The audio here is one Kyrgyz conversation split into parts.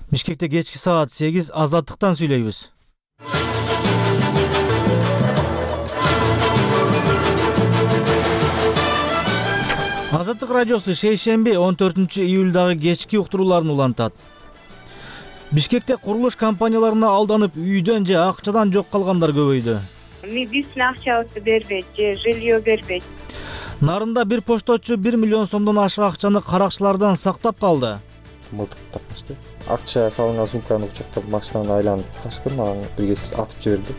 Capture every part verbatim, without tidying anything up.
Бишкекте кечки саат сегиз азаттыктан сүйлөйбүз. Азаттык радиосу шейшемби он төртүнчү июлдагы кечки уктурууларын улантат. Бишкекте курулуш компанияларына алданып үйдөн же акчадан жок калгандар көбөйдү. Биздин акчабызды бербейт же жилье бербейт. Нарында бир пошточу бир миллион сомдон ашык акчаны каракчылардан сактап калды. Мылтыктап качты. Акча салынган сумканы кучактап машинаны айланып качты, мага бир кесип атып жиберди.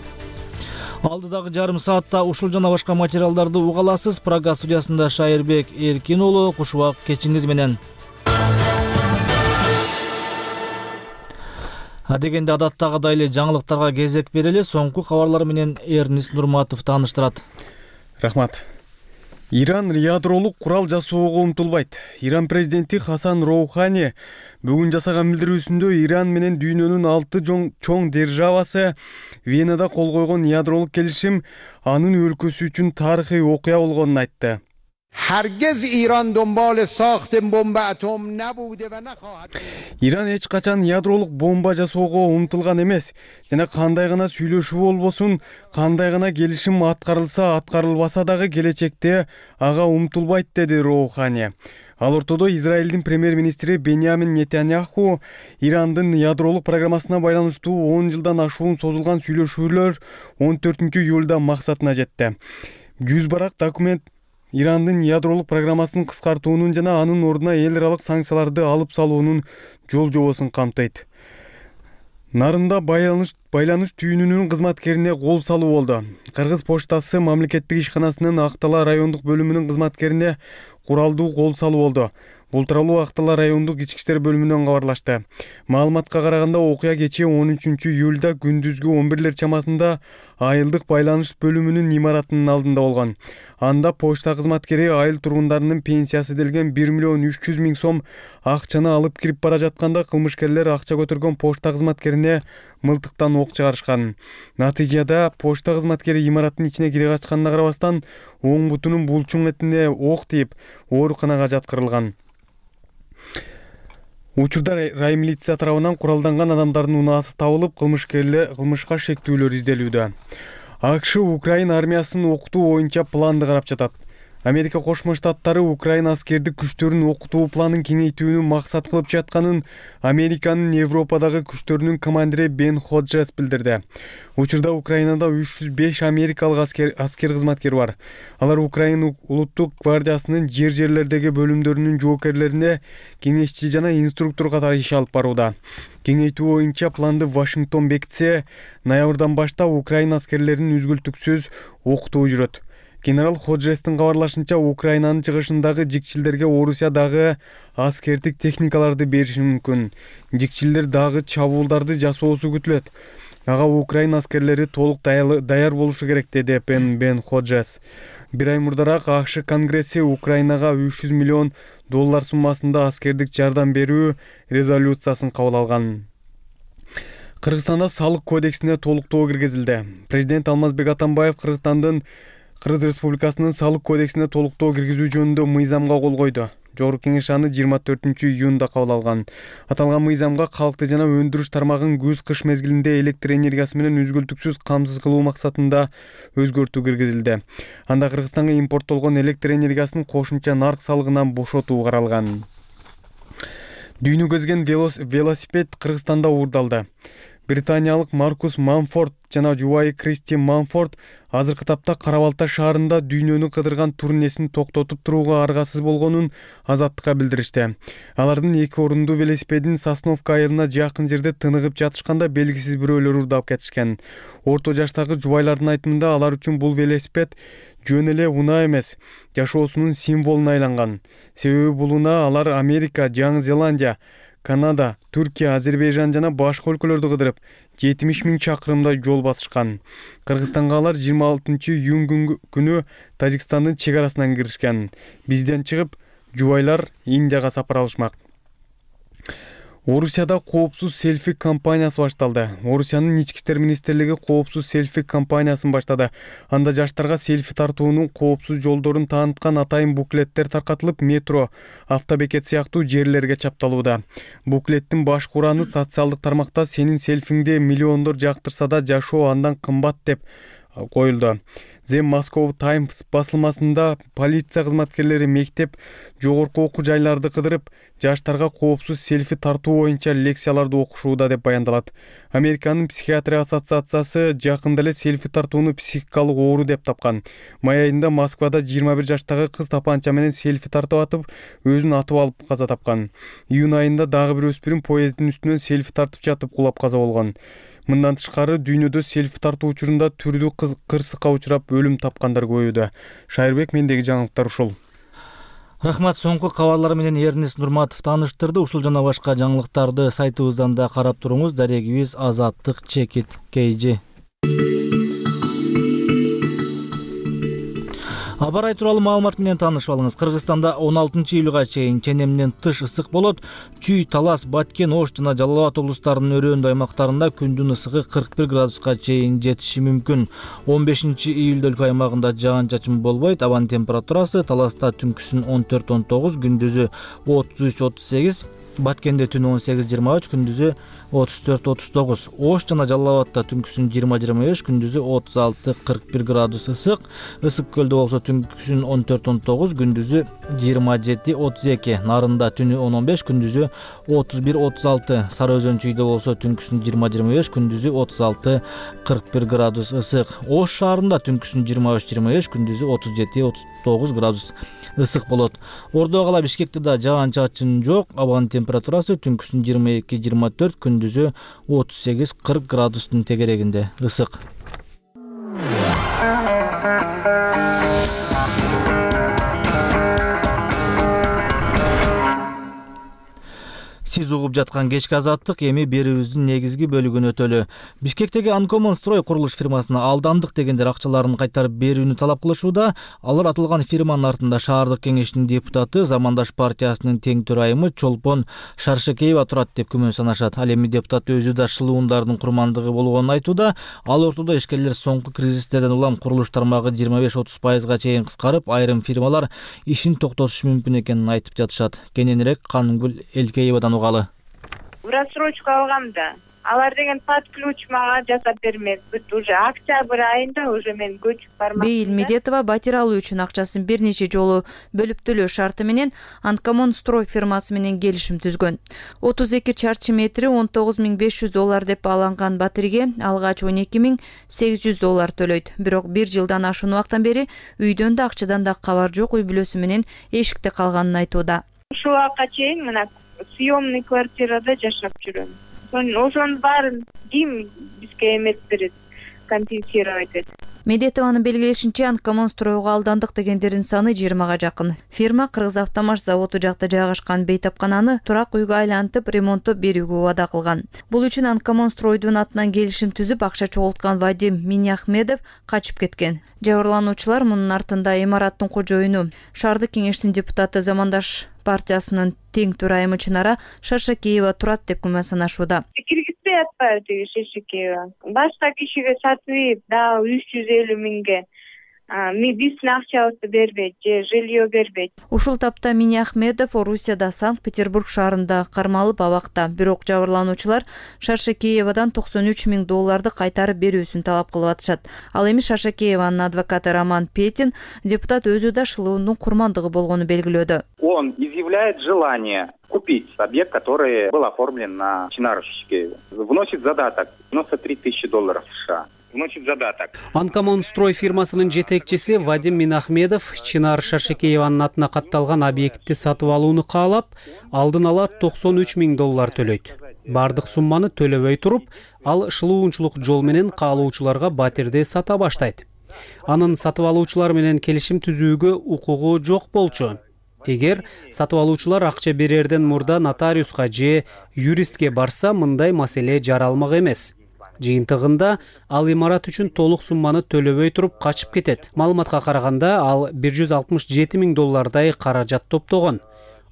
Алдыдагы жарым саатта ушул жана башка материалдарды уга аласыз. Прага студиясында Шайырбек Эркин уулу, кушубак кечиңиз менен. Адегенде адаттагыдай эле жаңылыктарга кезек берели. Соңку кабарлар менен Эрнис Нурматов тааныштырат. Рахмат. Иран ядролук курал жасоого умтулбайт. Иран президенти Хасан Роухани бүгүн жасаган билдирүүсүндө Иран менен дүйнөнүн алты чоң державасы Венада кол койгон ядролук келишим анын өлкөсү үчүн тарыхый окуя болгонун айтты. Hergez İran dönbal saaht bomba atom nebude ve nekhahat. Иран эч качан ядролук бомба жасоого умтулган эмес жана кандай гана сүйлөшүү болбосун, кандай гана келишим аткарылса, аткарылбаса дагы келечекте ага умтулбайт, деди Роухани. Ал ортодо Израилдин премьер-министри Беньямин Нетаньяху Ирандын ядролук программасына байланыштуу он жылдан ашуун созулган сүйлөшүүлөр он төртүнчү июлда максатына жетти. жүз барак документ Ирандын ядролук программасын кыскартуунун жана анын ордуна эл аралык санкцияларды алып салуунун жол жобосун камтыйт. Нарында байланыш байланыш түйүнүнүн кызматкерине кол салуу болду. Кыргыз поштасы мамлекеттик ишканасынын Актала райондук бөлүмүнүн кызматкерине куралдуу кол салуу болду. Бул тууралуу Актала райондук ички иштер бөлүмүнөн кабарлашты. Маалыматка караганда окуя кечээ он үчүнчү июлда күндүзгү он бирлер чамасында айылдык байланыш бөлүмүнүн имаратынын алдында болгон. Анда почта кызматкери айыл тургундарынын пенсиясы делген бир миллион үч жүз миң сом акчаны алып кирип бара жатканда кылмышкерлер акча көтөргөн почта кызматкерине мылтыктан ок чыгарышкан. Натыйжада почта кызматкери имараттын ичине кире качканына карабастан оң бутунун булчуң этине ок тийип, ооруканага жаткырылган. Учурда рай милиция тарабынан куралданган адамдардын унаасы табылып, кылмышкерлер кылмышка шектүүлөр изделүүдө. АКШ Украина армиясын окутуу боюнча планды карап жатат. Америка Кошмо Штаттары Украина аскердик күчтөрүн окутуу планын кеңейтүүнү максат кылып жатканын Американын Европадагы күчтөрүнүн командири Бен Ходжес билдирди. Учурда Украинада үч жүз беш америкалык аскер аскер кызматкер бар. Алар Украина улуттук гвардиясынын жер-жерлердеги бөлүмдөрүнүн жоокерлерине кеңешчи жана инструктор катары иш алып барууда. Кеңейтүү боюнча планды Вашингтон бекитсе, ноябрдан баштап Украина аскерлеринин үзгүлтүксүз окутуу жүрөт. Генерал Ходжестин кабарлашынча, Украинанын чыгышындагы жикчилдерге Орусия дагы аскердик техникаларды бериши мүмкүн. Жикчилдер дагы чабуулдарды жасоосу күтүлөт. Ага Украина аскерлери толук даяр болушу керек, деди Бен Бен Ходжес. Бир ай мурдараак АКШ Конгресси Украинага үч жүз миллион доллар суммасында аскердик жардам берүү резолюциясын кабыл алган. Кыргызстанда салык кодексине толуктоо киргизилди. Президент Алмазбек Атамбаев Кыргызстандын Кыргыз Республикасынын салык кодексине толуктоо киргизүү жөнүндө мыйзамга кол койду. Жогорку кеңеш аны жыйырма төртүнчү июнда кабыл алган. Аталган мыйзамга калкты жана өндүрүш тармагын күз-кыш мезгилинде электр энергиясы менен үзгүлтүксүз камсыз кылуу максатында өзгөртүү киргизилди. Анда Кыргызстанга импорттолгон электр энергиясын кошумча нарк салыгынан бошотуу каралган. Дүйнө кезген велосипед Кыргызстанда уурдалды. Британиялык Маркус Манфорд жана жубайы Кристи Манфорд азыркы тапта Кара-Балта шаарында дүйнөнү кыдырган турнесин токтотуп турууга аргасыз болгонун Азаттыкка билдиришти. Алардын эки орундуу велосипедин Сосновка айылына жакын жерде тыныгып жатышканда белгисиз бирөөлөр уурдап кетишкен. Орто жаштагы жубайлардын айтымында алар үчүн бул велосипед жөн эле унаа эмес, жашоосунун символуна айланган. Себеби бул унаа алар Америка, Жаңы Зеландия, Канада, Түркия, Азербайжан жана башка өлкөлөрдү кыдырып, жетимиш миң чакырымдай жол басышкан. Кыргызстанга алар жыйырма алтынчы июнь күнү Тажикстандын чек арасынан киришкен. Бизден чыгып, жубайлар Индияга сапар алышмак. Орусияда коопсуз селфи кампаниясы башталды. Орусиянын ички иштер министрлиги коопсуз селфи кампаниясын баштады. Анда жаштарга селфи тартуунун коопсуз жолдорун тааныткан атайын буклеттер таркатылып, метро, автобекет сыяктуу жерлерге чапталууда. Буклеттин баш кураны социалдык тармакта сенин селфиңди миллиондор жактырса да жашоо андан кымбат деп коюлду. The Moscow Times басылмасында полиция кызматкерлери мектеп, жогорку окуу жайларды кыдырып, жаштарга коопсуз селфи тартуу боюнча лекцияларды окушууда деп баяндалат. Американын психиатрия ассоциациясы жакында эле селфи тартууну психикалык оору деп тапкан. Май айында Москвада жыйырма бир жаштагы кыз тапанча менен селфи тартып атып, өзүн атып алып каза тапкан. Июнь айында дагы бир өспүрүм поезддин үстүнөн селфи тартып жатып кулап каза болгон. Мындан тышкары дүйнөдө селфи тартуу учурунда түрдүү кырсыкка учурап өлүм тапкандар көбөйдү. Шайырбек, мендеги жаңылыктар ушул. Рахмат, соңку кабарлар менен Эрнест Нурматов тааныштырды. Ушул жана башка жаңылыктарды сайтыбыздан да карап туруңуз. Дарегибиз Азаттык Чекит Кейжи. Абар ай тууралуу маалымат менен таанышып алыңыз. Кыргызстанда он алтынчы июлга чейин ченемден тыш ысык болот. Чүй, Талас, Баткен, Ош жана Жалал Абад облустарынын өрөөндүү аймактарында күндүн ысыгы кырк бир градуска чейин жетиши мүмкүн. он бешинчи июлда өлкө аймагында жаан-чачын болбойт. Абанын температурасы Таласта түнкүсүн он төрт он тогуз, күндүзү отуз үч отуз сегиз, Баткенде түнү он сегиз жыйырма үч, күндүзү отуз төрт отуз тогуз. Ош жана Жалал Абадта түнкүсүн жыйырма жыйырма беш, күндүзү отуз алты кырк бир градус ысык. Ысык көлдө болсо түнкүсүн он төрт он тогуз, күндүзү жыйырма жети отуз эки. Нарында түнү он он беш, күндүзү отуз бир отуз алты. Сары Өзөн чүйдө болсо түнкүсүн жыйырма жыйырма беш, күндүзү отуз алты кырк бир градус ысык. Ош шаарында түнкүсүн жыйырма үч жыйырма беш, күндүзү отуз жети отуз тогуз градус ысык болот. Ордо кала Бишкекте да жаан-чачын жок. Абанын температурасы түнкүсүн жыйырма эки жыйырма төрт, күндүзү отуз сегиз кырк градустун тегерегинде ысык. Сиз угуп жаткан кечки азаттык эми берүүбүздүн негизги бөлүгүнө өтөлү. Бишкектеги Анкомон строй курулуш фирмасына алдандык дегендер акчаларын кайтарып берүүнү талап кылышууда. Алар атылган фирманын артында шаардык кеңештин депутаты, Замандаш партиясынын тең төрайымы Чолпон Шаршекеева турат деп күмөн санашат. Ал эми депутат өзү да шылуундардын курмандыгы болгонун айтууда. Ал ортодо ишкерлер соңку кризистерден улам курулуш тармагы жыйырма беш отуз пайызга чейин кыскарып, айрым фирмалар ишин токтотушу мүмкүн экенин айтып жатышат. Кененирээк Канымгүл Элкеевадан угалы. В рассрочку алгам да. Алар деген под ключ мага жасап бермек. Бүт уже октябрь айында уже мен көчүп бармакмын. Бейил Медетова батир алуу үчүн акчасын бир нече жолу бөлүп төлөө шарты менен Анкомон строй фирмасы менен келишим түзгөн. отуз эки чарчы метри он тогуз миң беш жүз доллар деп аланган батирге алгач он эки миң сегиз жүз доллар төлөйт. Бирок бир жылдан ашуун убактан бери үйдөн да акчадан да кабар жок, үй бүлөсү менен эшикте калганын айтууда. Ушул убакка чейин мына съемный квартирада жашап жүрөм. Ошонун баарын ким бизге эмес берет, компенсировать этет. Медетованын белгилешинче, Анкомон стройго алдандык дегендердин саны жыйырмага жакын. Фирма Кыргызавтомаш заводу жакта жайгашкан бейтапкананы турак үйгө айлантып, ремонттоп берүүгө убада кылган. Бул үчүн Анкомон стройдун атынан келишим түзүп, акча чогулткан Вадим Миняхмедов качып кеткен. Жабырлануучулар мунун артында имараттын кожоюну, шаардык кеңештин депутаты, Замандаш партиясынын тең төрайымы Чынара Шаршекеева турат деп күмөн санашууда. Киргизбей атпайбы тиги Шаршекеева. Башка кишиге сатып, да үч жүз элүү миңге биздин акчабызды бербейт же жилье бербейт. Ушул тапта Миняхмедов Орусияда Санкт-Петербург шаарында кармалып абакта. Бирок жабырлануучулар Шаршекеевадан токсон үч миң долларды кайтарып берүүсүн талап кылып атышат. Ал эми Шаршекееванын адвокаты Роман Петин депутат өзү да шылуунун курмандыгы болгону белгилөөдө. Он изъявляет желание купить объект, который был оформлен на Чинару Шаршекееву. Вносит задаток девяносто три тысячи долларов США. Вносит задаток. Анкомон строй фирмасынын жетекчиси Вадим Минахмедов Чынар Шаршекееванын атына катталган объектти сатып алууну каалап, алдын ала токсон үч миң доллар төлөйт. Бардык сумманы төлөбөй туруп, ал шылуунчулук жол менен каалоочуларга батирди сата баштайт. Анын сатып алуучулар менен келишим түзүүгө укугу жок болчу. Эгер сатып алуучулар акча берерден мурда нотариуска же юристке барса, мындай маселе жаралмак эмес. Жыйынтыгында ал имарат үчүн толук сумманы төлөбөй туруп качып кетет. Маалыматка караганда, ал бир жүз алтымыш жети миң доллардай каражат топтогон.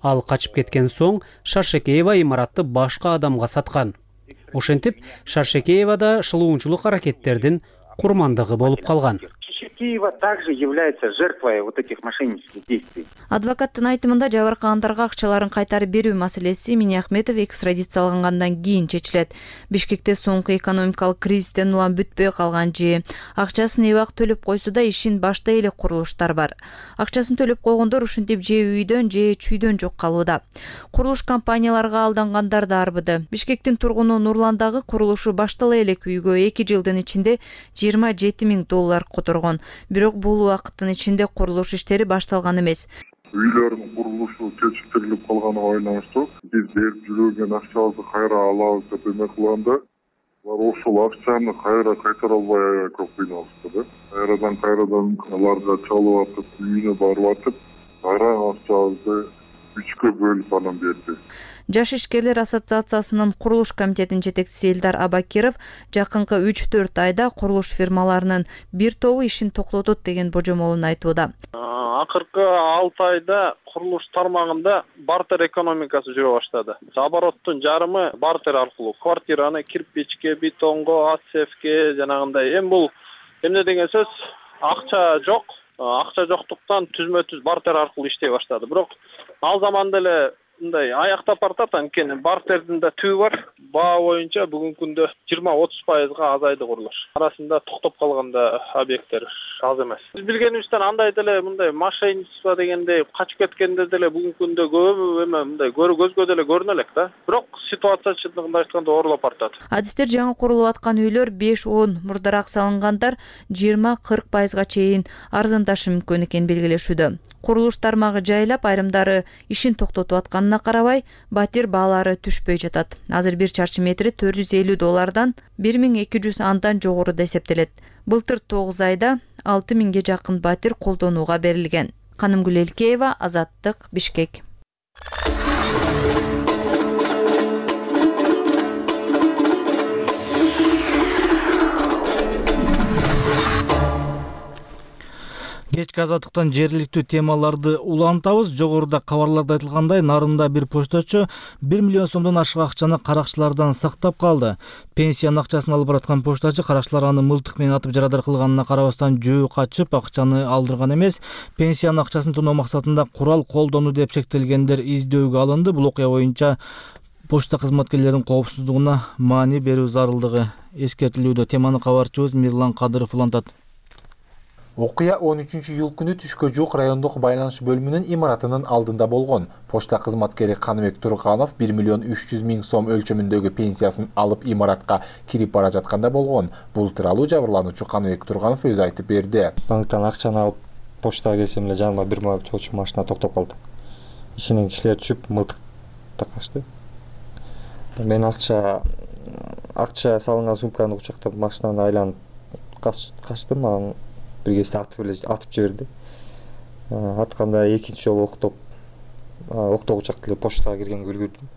Ал качып кеткен соң Шаршекеева имаратты башка адамга саткан. Ошентип, Шаршекеева да шылуунчулук аракеттердин курмандыгы болуп калган. Шаршекеева также является жертвой вот этих мошеннических действий. Адвокаттын айтымында жабыркагандарга акчаларын кайтарып берүү маселеси Минахметов экстрадициялангандан кийин чечилет. Бишкекте соңку экономикалык кризистен улам бүтпөй калган же акчасын эбак төлөп койсо да ишин баштай элек курулуштар бар. Акчасын төлөп койгондор ушинтип же үйдөн же чүйдөн жок калууда. Курулуш компанияларга алдангандар да арбыды. Бишкектин тургуну Нурландагы курулушу баштала элек үйгө эки жылдын ичинде жыйырма жети миң доллар которгон. Бирок бул убакыттын ичинде курулуш иштери башталган эмес. Үйлөрдүн курулушу кечиктирилип калганына байланыштуу биз берип жүргөн акчабызды кайра алабыз деп эме кылганда алар ошол акчаны кайра кайтара албай көп кыйналышты да. Кайрадан кайрадан аларга чалып атып, үйүнө барып атып, кайра акчабызды үчкө бөлүп анан берди. Жаш ишкерлер ассоциациясынын курулуш комитетинин жетекчиси Элдар Абакиров жакынкы үч төрт айда курулуш фирмаларынын бир тобу ишин токтотот деген божомолун айтууда. Акыркы алты айда курулуш тармагында бартер экономикасы жүрө баштады. Обороттун жарымы бартер аркылуу квартираны кирпичке, бетонго, АСФке жанагындай. Эми бул эмне деген сөз? Акча жок. Акча жоктуктан түзмө-түз бартер аркылуу иштей баштады. Бирок ал заманда эле мындай аяктап бартат, анткени бартердин да түбү бар. Баа боюнча бүгүнкү күндө жыйырма отуз пайызга азайды курулуш. Арасында токтоп калганда объекттер аз эмес. Биз билгенибизден андай деле мындай мошенничество дегендей качып кеткендер деле бүгүнкү күндө көп эме мындай көзгө деле көрүнө элек да. Бирок ситуация чындыгында айтканда оорлоп бартат. Адистер жаңы курулуп аткан үйлөр беш он мурдараак салынгандар жыйырма кырк пайызга чейин арзандашы мүмкүн экенин белгилешүүдө. Курулуш тармагы жайлап, айрымдары ишин токтотуп атканына карабай, батир баалары түшпөй жатат. Азыр бир чарчы метри төрт жүз элүү доллардан бир миң эки жүз андан жогоруда эсептелет. Былтыр тогуз айда алты миңге жакын батир колдонууга берилген. Канымгүл Элкеева, Азаттык, Бишкек. Кечки азаттыктан жергиликтүү темаларды улантабыз. Жогоруда кабарларда айтылгандай, Нарында бир почтачы бир миллион сомдон ашык акчаны каракчылардан сактап калды. Пенсиянын акчасын алып бараткан почтачы каракчылар аны мылтык менен атып жарадар кылганына карабастан жөө качып, акчаны алдырган эмес. Пенсиянын акчасын тоноо максатында курал колдону деп шектелгендер издөөгө алынды. Бул окуя боюнча почта кызматкерлеринин коопсуздугуна маани берүү зарылдыгы эскертилүүдө. Теманы кабарчыбыз Мирлан Кадыров улантат. Окуя он үчүнчү июль күнү түшкө жук райондук байланыш бөлүмүнүн имаратынын алдында болгон. Почта кызматкери Каныбек Турганов бир миллион үч жүз миң сом өлчөмүндөгү пенсиясын алып имаратка кирип бара жатканда болгон. Бул тууралуу жабырлануучу Каныбек Турганов өзү айтып берди. Банктан акчаны алып почтага келсем эле жаныма бир чочу машина токтоп калды. Ишинен кишилер түшүп мылтык такашты. Мен акча акча салынган сумканы кучактап машинаны айланып качтым. Анан бир кезде атып эле атып жиберди. Атканда экинчи жолу октоп октогучак эле почтага киргенге үлгүрдүм.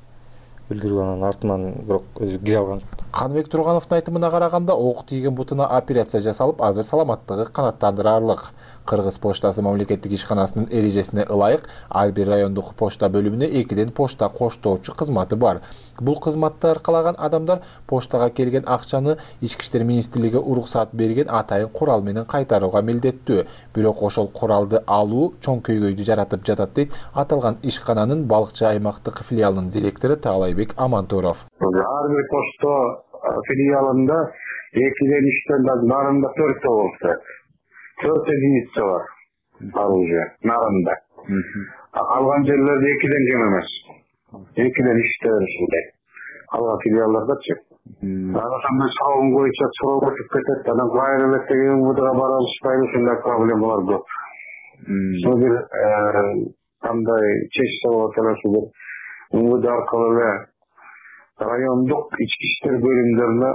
Үлгүрүп анан артынан бирок өзү кире алган жок. Каныбек Тургановдун айтымына караганда, ок тийген бутуна операция жасалып, азыр саламаттыгы канааттандырарлык. Кыргыз поштасы мамлекеттик ишканасынын эрежесине ылайык ар бир райондук почта бөлүмүнө экиден почта коштоочу кызматы бар. Бул кызматты аркалаган адамдар поштага келген акчаны Ички иштер министрлиги уруксат берген атайын курал менен кайтарууга милдеттүү. Бирок ошол куралды алуу чоң көйгөйдү жаратып жатат дейт аталган ишкананын Балыкчы аймактык филиалынын директору Таалайбек Амантуров. Ар бир почта филиалында экиден үчтөн Нарында төрттө болсо төрт единица бар оружие Нарында. Калган жерлерде экиден кем эмес. Экиден үчтө ушундай. Калган филиалдардачы. Ошондой салым боюнча суроо өтүп кетет. Анан кайра деген мудага бара алышпайбы, ушундай проблемалар көп. Ошо бир кандай чечсе болот эле ошо бир муд аркылуу эле райондук ички иштер бөлүмдөрүнө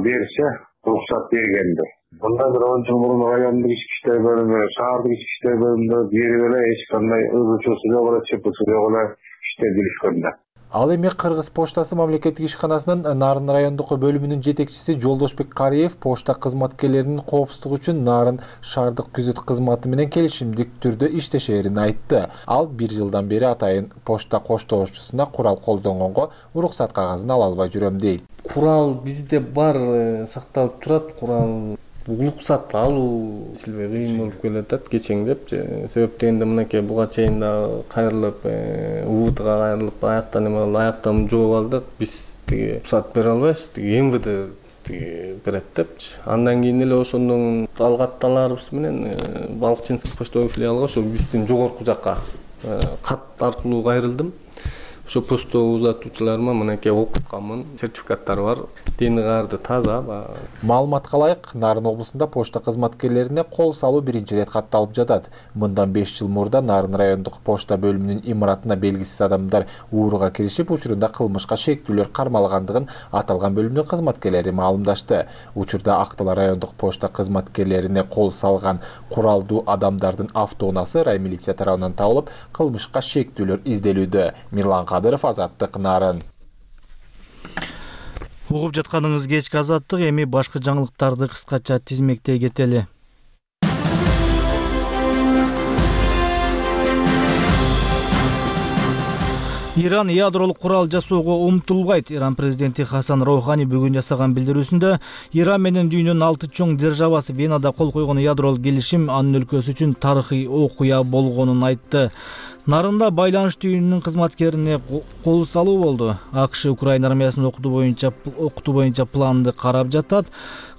берсе уруксат бергенди. Мындан бир он жыл мурун райондук ички иштер бөлүмү, шаардык ички иштер бөлүмдөрү берип эле эч кандай ызы чуусу жок эле, чыпысы жок эле иштеп жүрүшкөндө. Ал эми Кыргыз поштасы мамлекеттик ишканасынын Нарын райондук бөлүмүнүн жетекчиси Жолдошбек Кариев пошта кызматкерлеринин коопсуздугу үчүн Нарын шаардык күзөт кызматы менен келишимдик түрдө иштешерин айтты. Ал бир жылдан бери атайын пошта коштоочусуна курал колдонгонго уруксат кагазын ала албай жүрөм дейт. Курал бизде бар, сакталып турат. Курал уруксат алуу силбей кыйын болуп келатат кечеңдеп. Себептен да мынакей буга чейин да кайрылып, убутга кайрылып, аяктан эме алып, аяктан жооп алдык. Биз тиги уруксат бере албайбыз, тиги эм вэ дэ тиги берет депчи. Андан кийин эле ошондон алгатталарыбыз менен Балыкчинский почтовый филиалга, ошо биздин жогорку жакка кат аркылуу кайрылдым. Ошо почта узатуучуларыма мынакей окутканмын, сертификаттары бар, дени каарды таза. Маалыматка ылайык, Нарын облусунда пошта кызматкерлерине кол салуу биринчи рет катталып жатат. Мындан беш жыл мурда Нарын райондук пошта бөлүмүнүн имаратына белгисиз адамдар ууруга киришип, учурунда кылмышка шектүүлөр кармалгандыгын аталган бөлүмдүн кызматкерлери маалымдашты. Учурда Актала райондук пошта кызматкерлерине кол салган куралдуу адамдардын автоунаасы раймилиция тарабынан табылып, кылмышка шектүүлөр изделүүдө. Мирлан Кадыров, Азаттык, Нарын. Угуп жатканыңыз кечки Азаттык, эми башка жаңылыктарды кыскача тизмектей кетели. Иран ядролук курал жасоого умтулбайт. Иран президенти Хасан Роухани бүгүн жасаган билдирүүсүндө Иран менен дүйнөнүн алты чоң державасы Венада кол койгон ядролук келишим анын өлкөсү үчүн тарыхый окуя болгонун айтты. Нарында байланыш түйүнүнүн кызматкерине кол салуу болду. АКШ Украина армиясынын окутуу боюнча окутуу боюнча планды карап жатат.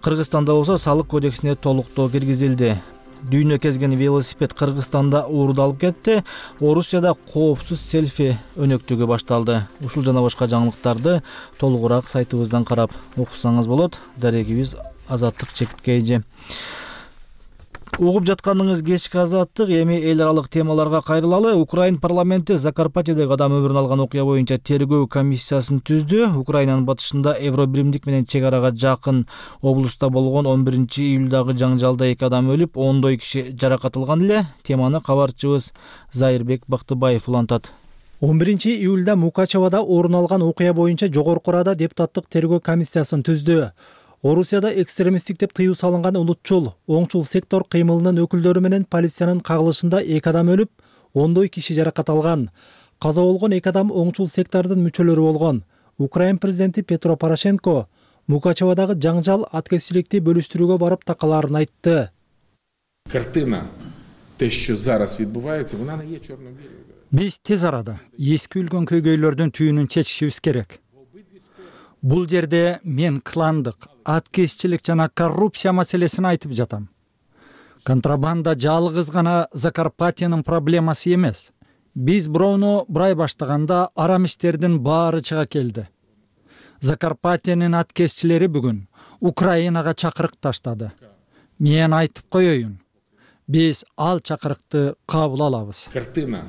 Кыргызстанда болсо салык кодексине толуктоо киргизилди. Дүйнө кезген велосипед Кыргызстанда уурдалып кетти. Орусияда коопсуз селфи өнөктүгү башталды. Ушул жана башка жаңылыктарды толугураак сайтыбыздан карап окусаңыз болот. Дарегибиз Азаттык Чекиткейжи. Угуп жатканыңыз кечки Азаттык, эми эл аралык темаларга кайрылалы. Украин парламенти Закарпатьедеги адам өмүрүн алган окуя боюнча тергөө комиссиясын түздү. Украинанын батышында Евробиримдик менен чек арага жакын облуста болгон он биринчи июлдагы жаңжалда эки адам өлүп, ондой киши жаракат алган эле. Теманы кабарчыбыз Зайырбек Бактыбаев улантат. он биринчи июлда Мукачевада орун алган окуя боюнча жогорку Рада депутаттык тергөө комиссиясын түздү. Орусияда экстремисттик деп тыюу салынган улутчул, оңчул сектор кыймылынын өкүлдөрү менен полициянын кагылышында эки адам өлүп, ондой киши жаракат алган. Каза болгон эки адам оңчул сектордун мүчөлөрү болгон. Украин президенти Петро Порошенко Мукачевадагы жаңжал аткезчиликти бөлүштүрүүгө барып такалаарын айтты. Картина те, що зараз відбувається, вона не є чорно-білою. Биз тез арада эски үлгөн көйгөйлөрдүн түйүнүн чечишибиз керек. Бул жерде мен кландык, аткезчилик жана коррупция маселесин айтып жатам. Контрабанда жалгыз гана Закарпатьянын проблемасы эмес. Биз бироону бурай баштаганда арам иштердин баары чыга келди. Закарпатьянын аткезчилери бүгүн Украинага чакырык таштады. Мен айтып коеюн. Биз ал чакырыкты кабыл алабыз. Картина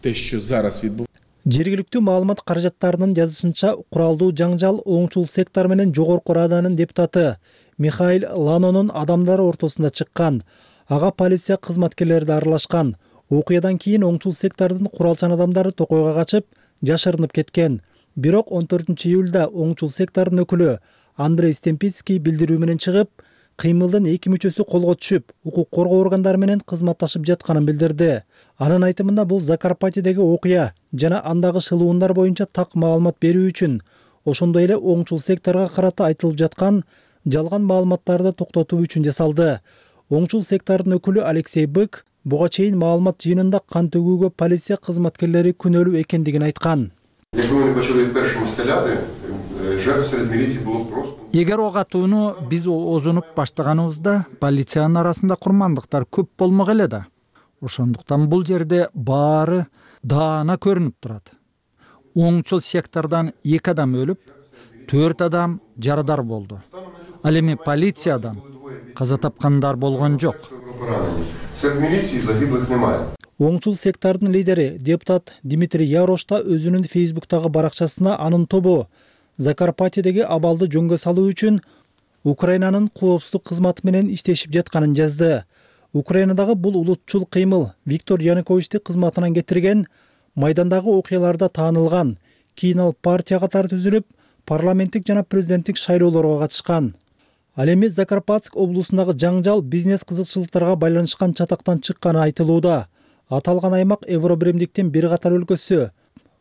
те, що зараз відбувається. Жергиликтүү маалымат каражаттарынын жазышынча, куралдуу жаңжал оңчул сектор менен жогорку Раданын депутаты Михаил Ланонун адамдары ортосунда чыккан. Ага полиция кызматкерлери да аралашкан. Окуядан кийин оңчул сектордун куралчан адамдары токойго качып, жашырынып кеткен. Бирок он төртүнчү июлда оңчул сектордун өкүлү Андрей Стемпицкий билдирүү менен чыгып, кыймылдын эки мүчөсү колго түшүп, укук коргоо органдары менен кызматташып жатканын билдирди. Анын айтымында бул Закарпатьедеги окуя жана андагы шылуундар боюнча так маалымат берүү үчүн, ошондой эле оңчул секторго карата айтылып жаткан жалган маалыматтарды токтотуу үчүн жасалды. Оңчул сектордун өкүлү Алексей Бык буга чейин маалымат жыйынында кан төгүүгө полиция кызматкерлери күнөөлүү экендигин айткан. Эгер ок атууну биз озунуп баштаганыбызда, полициянын арасында курмандыктар көп болмок эле да. Ошондуктан бул жерде баары даана көрүнүп турат. Оңчул сектордон эки адам өлүп, төрт адам жарадар болду. Ал эми полициядан каза тапкандар болгон жок. Оңчул сектордун лидери депутат Дмитрий Ярош да өзүнүн Фейсбуктагы баракчасына анын тобу Закарпатьедеги абалды жөнгө салуу үчүн Украинанын коопсуздук кызматы менен иштешип жатканын жазды. Украинадагы бул улутчул кыймыл Виктор Януковичти кызматынан кетирген, майдандагы окуяларда таанылган, Кийин ал партия катары түзүлүп, парламенттик жана президенттик шайлоолорго катышкан. Ал эми Закарпатск облусундагы жаңжал бизнес кызыкчылыктарга байланышкан чатактан чыкканы айтылууда. Аталган аймак Евробиримдиктин бир катар өлкөсү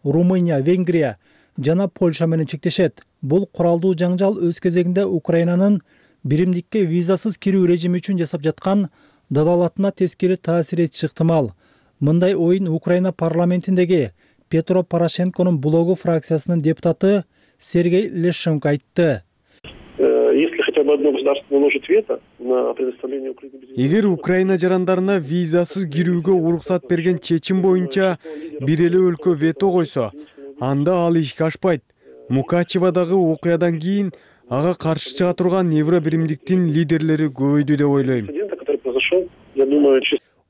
Румыния, Венгрия жана Польша менен чектешет. Бул куралдуу жаңжал өз кезегинде Украинанын биримдикке визасыз кирүү режими үчүн жасап жаткан дадалатына тескери таасир этиши ыктымал. Мындай оюн Украина парламентиндеги Петро Порошенконун блогу фракциясынын депутаты Сергей Лещенко айтты. Если хотя бы одно государство наложит вето на предоставление Украине... Эгер Украина жарандарына визасыз кирүүгө уруксат берген чечим боюнча бир эле өлкө вето койсо, анда ал ишке ашпайт. Мукачевадагы окуядан кийин ага каршы чыга турган Евробиримдиктин лидерлери көбөйдү деп ойлойм.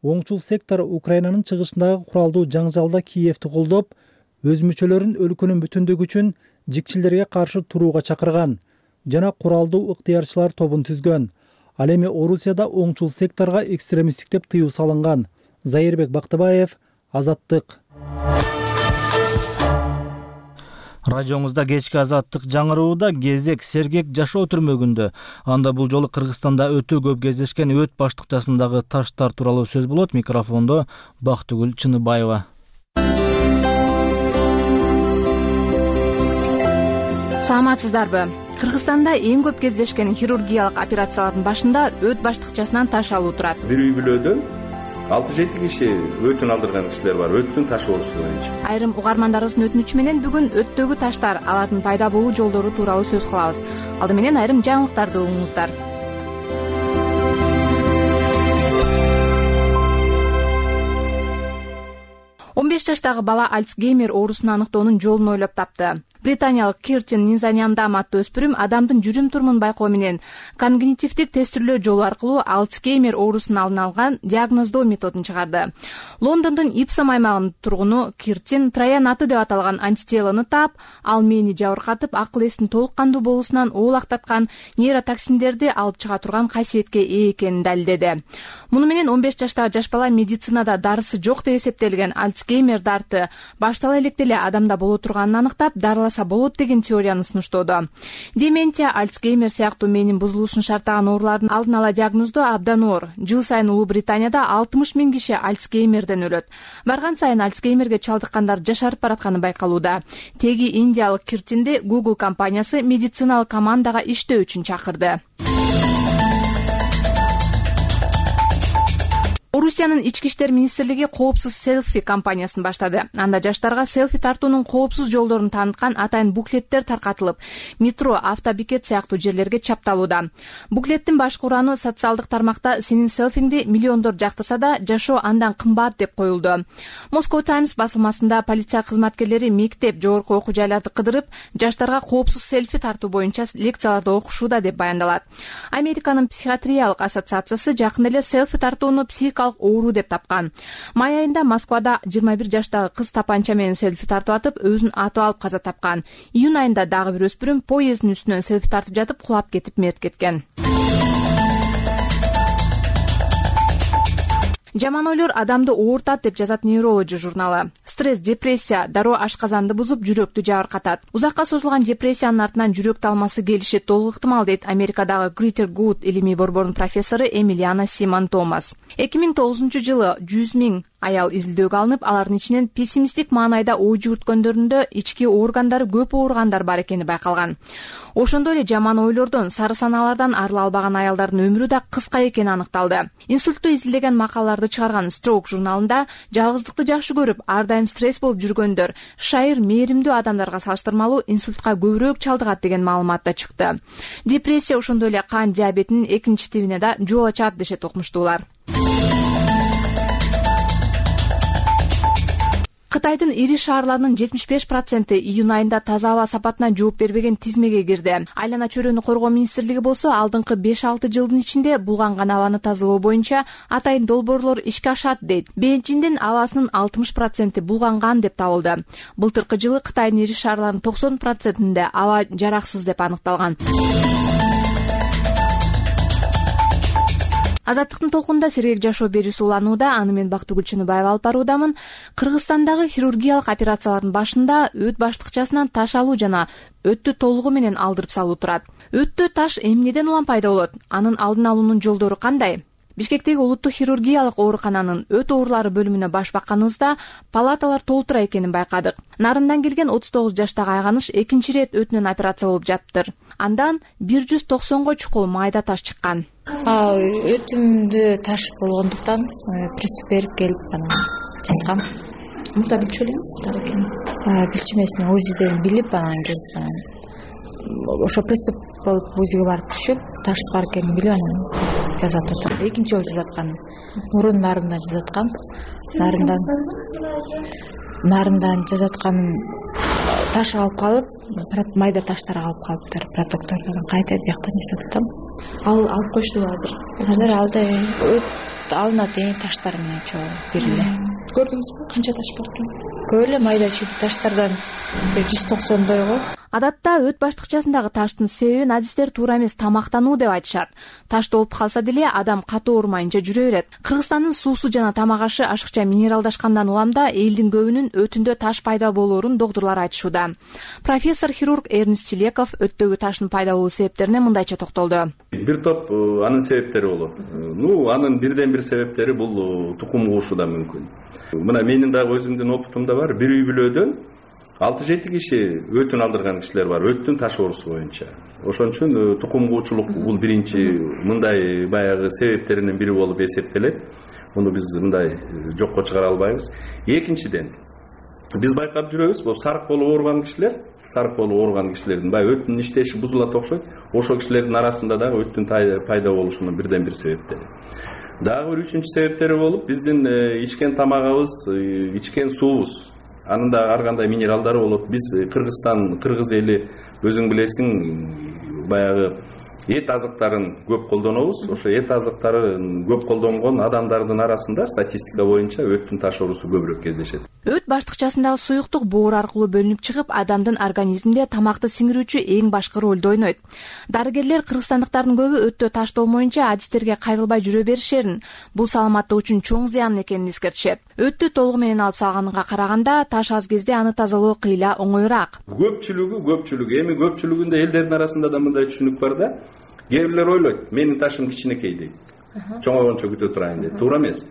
Оңчул сектор Украинанын чыгышындагы куралдуу жаңжалда Киевти колдоп, өз мүчөлөрүн өлкөнүн бүтүндүгү үчүн жикчилерге каршы турууга чакырган жана куралдуу ыктыярчылар тобун түзгөн. Ал эми Орусияда оңчул секторго экстремисттик деп тыюу салынган. Зайырбек Бактыбаев, Азаттык. Радиоңузда кечки Азаттык жаңырууда кезек сергек жашоо түрмөгүндө. Анда бул жолу Кыргызстанда өтө көп кездешкен өт баштыкчасындагы таштар тууралуу сөз болот. Микрофондо Бактыгүл Чыныбаева. Саламатсыздарбы? Кыргызстанда эң көп кездешкен хирургиялык операциялардын башында өт баштыкчасынан таш алуу турат. Бир үй бүлөдөн алты жети киши өтүн алдырган кишилер бар, өттүн таш оорусу боюнча. Айрым угармандарыбыздын өтүнүчү менен бүгүн өттөгү таштар, алардын пайда болуу жолдору тууралуу сөз кылабыз. Алды менен айрым жаңылыктарды угуңуздар. он беш жаштагы бала Альцгеймер оорусун аныктоонун жолун ойлоп тапты. Британиялык Киртин Низаняндам аттуу өспүрүм адамдын жүрүм-турумун байкоо менен когнитивдик тестирлөө жолу аркылуу Альцгеймер оорусун алдын алган диагноздоо методун чыгарды. Лондондун Ипсом аймагынын тургуну Киртин Троян аты деп аталган антителону таап, ал мээни жабыркатып, акыл эстин толук кандуу болуусунан оолактаткан нейротоксиндерди алып чыга турган касиетке ээ экенин далилдеди. Муну менен он беш жаштагы жаш бала медицинада дарысы жок деп эсептелген Альцгеймер дарты баштала электе эле адамда боло турганын аныктап, дарыласа болот деген теорияны сунуштоодо. Деменция, Альцгеймер сыяктуу мээнин бузулушун шарттаган оорулардын алдын ала диагноздоо абдан оор. Жыл сайын Улуу Британияда алтымыш миң киши Альцгеймерден өлөт. Барган сайын Альцгеймерге чалдыккандар жашарып баратканы байкалууда. Теги индиялык Киртинди Google компаниясы медициналык командага иштөө үчүн чакырды. Орусиянын ички иштер министрлиги коопсуз селфи кампаниясын баштады. Анда жаштарга селфи тартуунун коопсуз жолдорун тааныткан атайын буклеттер таркатылып, метро, автобекет сыяктуу жерлерге чапталууда. Буклеттин башкы ураны социалдык тармакта сенин селфиңди миллиондор жактырса да, жашоо андан кымбат деп коюлду. Moscow Times басылмасында полиция кызматкерлери мектеп, жогорку окуу жайларды кыдырып, жаштарга коопсуз селфи тартуу боюнча лекцияларды окушууда деп баяндалат. Американын психиатриялык ассоциациясы жакында эле селфи тартууну психикалык оору деп тапкан. Май айында Москвада жыйырма бир жаштагы кыз тапанча менен селфи тартып атып, өзүн атып алып каза тапкан. Июнь айында дагы бир өспүрүм поезддин үстүнөн селфи тартып жатып кулап кетип мерт кеткен. Жаман ойлор адамды оорутат деп жазат Neurology журналы. Стресс, депрессия дароо ашказанды бузуп, жүрөктү жабыркатат. Узакка созулган депрессиянын артынан жүрөк талмасы келиши толук ыктымал дейт Америкадагы Greater Good илимий борборунун профессору Эмилиана Симон Томас. эки миң тогузунчу жылы жүз миң аял изилдөөгө алынып, алардын ичинен пессимисттик маанайда ой жүгүрткөндөрүндө ички органдары көп ооругандар бар экени байкалган. Ошондой эле жаман ойлордон, сары санаалардан арыла албаган аялдардын өмүрү да кыска экени аныкталды. Инсультту изилдеген макалаларды чыгарган Stroke журналында жалгыздыкты жакшы көрүп, ар дайым стресс болуп жүргөндөр шайыр мээримдүү адамдарга салыштырмалуу инсультка көбүрөөк чалдыгат деген маалымат да чыкты. Депрессия ошондой эле кан диабетинин экинчи тибине да жол ачат дешет окумуштуулар. Кытайдын ири шаарларынын жетимиш беш проценти июнь айында таза аба сапатына жооп бербеген тизмеге кирди. Айлана чөйрөнү коргоо министрлиги болсо алдыңкы беш алты жылдын ичинде булганган абаны тазалоо боюнча атайын долбоорлор ишке ашат дейт. Бейжиңдин абасынын алтымыш проценти булганган деп табылды. Былтыркы жылы Кытайдын ири шаарларынын токсон процентинде аба жараксыз деп аныкталган. Азаттыктын толкунунда Сергек Жашоо берүүсү уланууда. Аны мен Бактыгүл Чыныбаева алып баруудамын. Кыргызстандагы хирургиялык операциялардын башында өт баштыкчасынан таш алуу жана өттү толугу менен алдырып салуу турат. Өттө таш эмнеден улам пайда болот? Анын алдын алуунун жолдору кандай? Бишкектеги улуттук хирургиялык оорукананын өт оорулары бөлүмүнө баш бакканыбызда палаталар толтура экенин байкадык. Нарындан келген отуз тогуз жаштагы айганыш экинчи ирет өтүнөн операция болуп жатыптыр. Андан бир жүз токсонго чукул майда таш чыккан. Өтүмдө таш болгондуктан приступ берип келип анан жаткам. Мурда билчү элеңиз бар экенин? Билчү эмес, УЗИден билип анан келип ошо приступ болуп УЗИге барып түшүп, таш бар экенин билип анан жазат атам. Экинчи жолу жазаткан. Мурун нарындан жазаткан. Нарындан нарындан жазаткан таш алып калып, майда таштар алып калыптыр, протоктордон кайта бияктан жасап атам. Ал алып коюштубу азыр? Азыр алда өт алынат эң таштар менен чогуу бир эле. Көрдүңүзбү канча таш бар экен? Көп эле майда чүйдү таштардан жүз токсондой го. Адатта өт баштыкчасындагы таштын себебин адистер туура эмес тамактануу деп айтышат. Таш толуп калса деле адам катуу оорумайынча жүрө берет. Кыргызстандын суусу жана тамак ашы ашыкча минералдашкандан уламда элдин көбүнүн өтүндө таш пайда болоорун доктурлар айтышууда. Профессор хирург Эрнест Телеков өттөгү таштын пайда болуу себептерине мындайча токтолду. Бир топ анын себептери болот. Ну, анын бирден бир себептери бул тукум куушу да мүмкүн. Мына менин дагы өзүмдүн опытымда бар. Бир үй бүлөдөн алты жети киши өтүн алдырган кишилер бар, өттүн таш оорусу боюнча. Ошон үчүн тукум куучулук бул биринчи мындай баягы себептеринин бири болуп эсептелет. Муну биз мындай жокко чыгара албайбыз. Экинчиден, биз байкап жүрөбүз, бул сарык болуп ооруган кишилер, сарык болуп ооруган кишилердин баягы өттүн иштеши бузулат окшойт. Ошол кишилердин арасында дагы өттүн пайда болушунун бирден бир себептери. Дагы бир үчүнчү себептери болуп, биздин ичкен тамагыбыз, ичкен суубуз, анын да ар кандай минералдары болот. Биз Кыргызстан, кыргыз эли өзүң билесиң, баягы эт азыктарын көп колдонобуз. Ошо эт азыктарын көп колдонгон адамдардын арасында статистика боюнча өттүн таш оорусу көбүрөөк кездешет. Өт баштыкчасындагы суюктук боор аркылуу бөлүнүп чыгып, адамдын организминде тамакты сиңирүүчү эң башкы ролду ойнойт. Дарыгерлер кыргызстандыктардын көбү өттө таш толмоюнча адистерге кайрылбай жүрө беришерин, бул саламаттык үчүн чоң зыян экенин эскертишет. Өттү толугу менен алып салганга караганда таш аз кезде аны тазалоо кыйла оңоюраак. Көпчүлүгү, көпчүлүгү, эми көпчүлүгүндө элдердин арасында да мындай түшүнүк бар да. Кээ бирлер ойлойт, менин ташым кичинекей дейт. Чоңойгончо күтө турайын дейт. Туура эмес.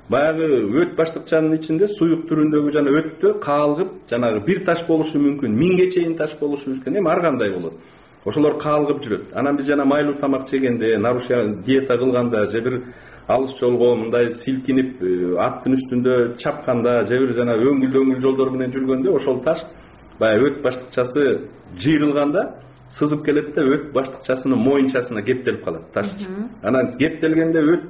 Баягы өт баштыкчанын ичинде суюк түрүндөгү жана өттө каалгып, жанагы бир таш болушу мүмкүн, миңге чейин таш болушу мүмкүн. Эми ар кандай болот. Ошолор каалгып жүрөт. Анан биз жана майлуу тамак жегенде, нарушение диета кылганда, же бир алыс жолго мындай силкинип, аттын үстүндө чапканда, же бир жана өңгүл-өңгүл жолдор менен жүргөндө ошол таш баягы өт баштыкчасы жыйрылганда сызып келет да өт баштыкчасынын моюнчасына кептелип калат таш. Анан кептелгенде өт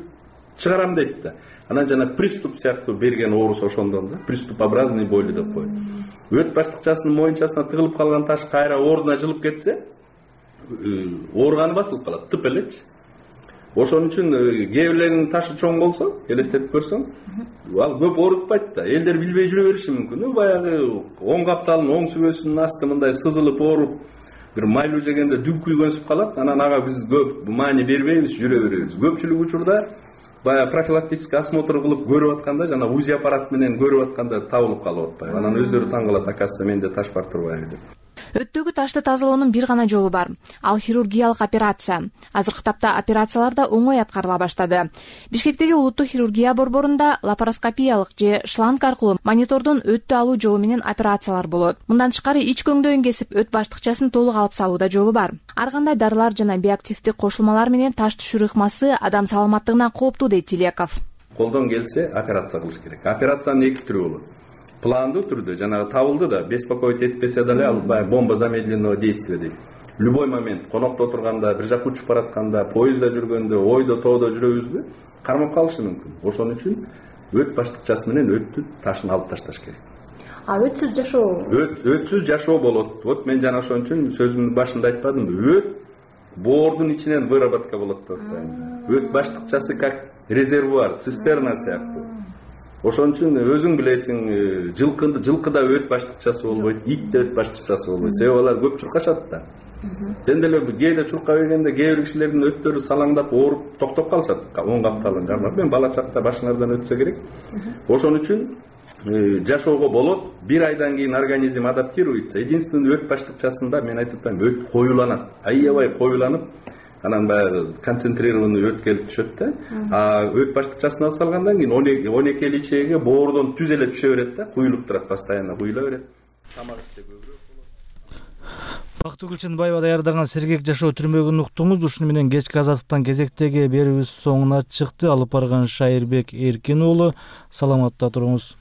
чыгарам дейт да. Анан жана приступ сыяктуу берген оорус ошондон да, приступообразный боли деп коет. Өт баштыкчасынын моюнчасына тыгылып калган таш кайра ордуна жылып кетсе, ооруганы басылып калат, тып элечи. Ошон үчүн кээ бирлеринин ташы чоң болсо, элестетип көрсөң, ал көп оорутпайт да. Элдер билбей жүрө бериши мүмкүн. Баягы оң капталынын оң сүбөсүнүн асты мындай сызылып ооруп, бир майлуу жегенде дүң күйгөнсүп калат. Анан ага биз көп маани бербейбиз, жүрө беребиз. Көпчүлүк учурда баягы профилактический осмотр кылып көрүп атканда, жана УЗИ аппарат менен көрүп атканда табылып калып атпайбы. Анан өздөрү таң калат, оказывается, менде таш бар турбайбы деп. Өттөгү ташты тазалоонун бир гана жолу бар. Ал хирургиялык операция. Азыркы тапта операциялар да оңой аткарыла баштады. Бишкектеги улуттук хирургия борборунда лапароскопиялык же шланг аркылуу монитордон өттү алуу жолу менен операциялар болот. Мындан тышкары ич көңдөйүн кесип өт баштыкчасын толук алып салууда жолу бар. Ар кандай дарылар жана биоактивдик кошулмалар менен таш түшүрүү ыкмасы адам саламаттыгына кооптуу дейт Телеков. Колдон келсе операция кылыш керек. Операциянын эки түрү болот. Пландуу түрдө жанагы табылды да, беспокоить этпесе деле ал бомба замедленного действия дейт. Любой момент конокто отурганда, бир жака учуп баратканда, поездда жүргөндө, ойдо тоодо жүрөбүзбү, кармап калышы мүмкүн. Ошон үчүн өт баштыкчасы менен өттүн ташын алып ташташ керек. А өтсүз жашоо? Өт өтсүз жашоо болот. Вот мен жана ошон үчүн сөзүмдүн башында айтпадымбы? Өт боордун ичинен выработка болот деп атпаймынбы? Өт баштыкчасы как резервуар, цистерна сыяктуу. Ошон үчүн өзүң билесиң, жылкында жылкыда өт баштыкчасы болбойт, итте өт баштыкчасы болбойт. Себеби алар көп чуркашат да. Сен деле кээде чуркап ийгенде кээ бир кишилердин өттөрү салаңдап ооруп токтоп калышат. он капталын кармап. Мен бала чакта башыңардан өтсө керек. Ошон үчүн жашоого болот. Бир айдан кийин организм адаптируется. Единственный өт баштыкчасында мен айтып атпаймынбы, өт коюланат. Аябай коюланып, анан баягы концентрированный өт келип түшөт да. А өт баштыкчасын алып салгандан кийин он эки личеге боордон түз эле түшө берет да, куюлуп турат, постоянно куюла берет. Тамак ичсе көбүрөөк болот. Бактыгүл Чынбаева даярдаган сергек жашоо түрмөгүн уктуңуз. Ушуну менен кечки азаттыктан кезектеги берүүбүз соңуна чыкты. Алып барган Шайырбек Эркин уулу. Саламатта туруңуз.